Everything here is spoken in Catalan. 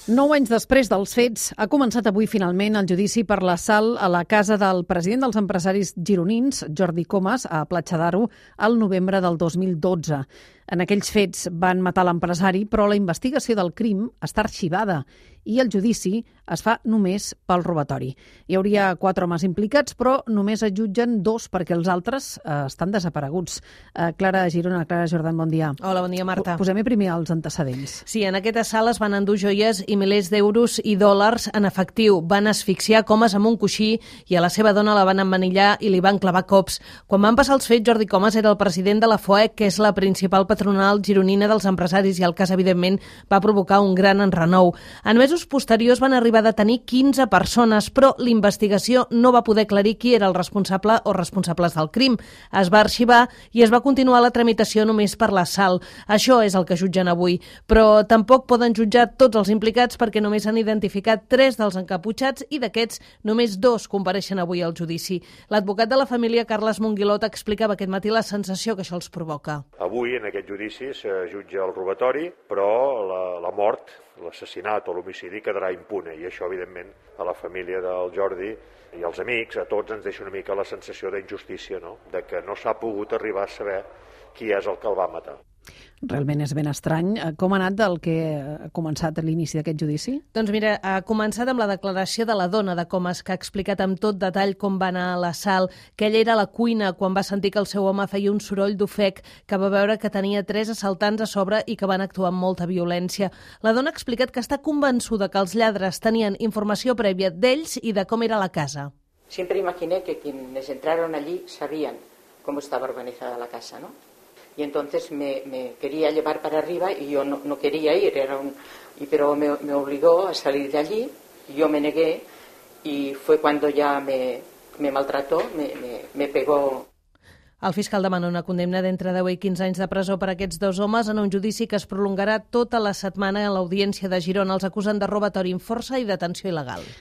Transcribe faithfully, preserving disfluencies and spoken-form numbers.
Nou anys després dels fets, ha començat avui finalment el judici per l'assalt a la casa del president dels empresaris gironins, Jordi Comas, a Platja d'Aro, al novembre del dos mil dotze. En aquells fets van matar l'empresari, però la investigació del crim està arxivada i el judici es fa només pel robatori. Hi hauria quatre homes implicats, però només es jutgen dos perquè els altres eh, estan desapareguts. Eh, Clara Girona, Clara Jordan, bon dia. Hola, bon dia, Marta. Posem-hi primer els antecedents. Sí, en aquest assalt es van endur joies i milers d'euros i dòlars en efectiu. Van asfixiar Comas amb un coixí i a la seva dona la van emmanillar i li van clavar cops. Quan van passar els fets, Jordi Comas era el president de la F O E, que és la principal patronal gironina dels empresaris, i el cas, evidentment, va provocar un gran enrenou. En mesos posteriors van arribar a detenir quinze persones, però l'investigació no va poder aclarir qui era el responsable o responsables del crim. Es va arxivar i es va continuar la tramitació només per l'assalt. Això és el que jutgen avui, però tampoc poden jutjar tots els implicats perquè només han identificat tres dels encaputxats i d'aquests només dos compareixen avui al judici. L'advocat de la família, Carles Monguilot, explicava aquest matí la sensació que això els provoca. Avui, en aquest judici, se jutja el robatori, però la, la mort, l'assassinat o l'homicidi quedarà impune, i això, evidentment, a la família del Jordi i als amics, a tots ens deixa una mica la sensació d'injustícia, no? De que no s'ha pogut arribar a saber qui és el que el va matar. Realment és ben estrany. Com ha anat del que ha començat a l'inici d'aquest judici? Doncs mira, ha començat amb la declaració de la dona de Comas, que ha explicat amb tot detall com va anar l'assalt, que ella era a la cuina quan va sentir que el seu home feia un soroll d'ofec, que va veure que tenia tres assaltants a sobre i que van actuar amb molta violència. La dona ha explicat que està convençuda que els lladres tenien informació prèvia d'ells i de com era la casa. Siempre imaginé que quienes entraron allí sabían cómo estaba organizada la casa, ¿no? Y entonces me, me quería llevar para arriba y yo no, no quería ir, era un, y, pero me, me obligó a salir de allí, yo me negué y fue cuando ya me, me maltrató, me, me, me pegó. El fiscal demana una condemna d'entre deu i quinze anys de presó per a aquests dos homes en un judici que es prolongarà tota la setmana a l'Audiència de Girona. Els acusen de robatori amb força i detenció il·legal.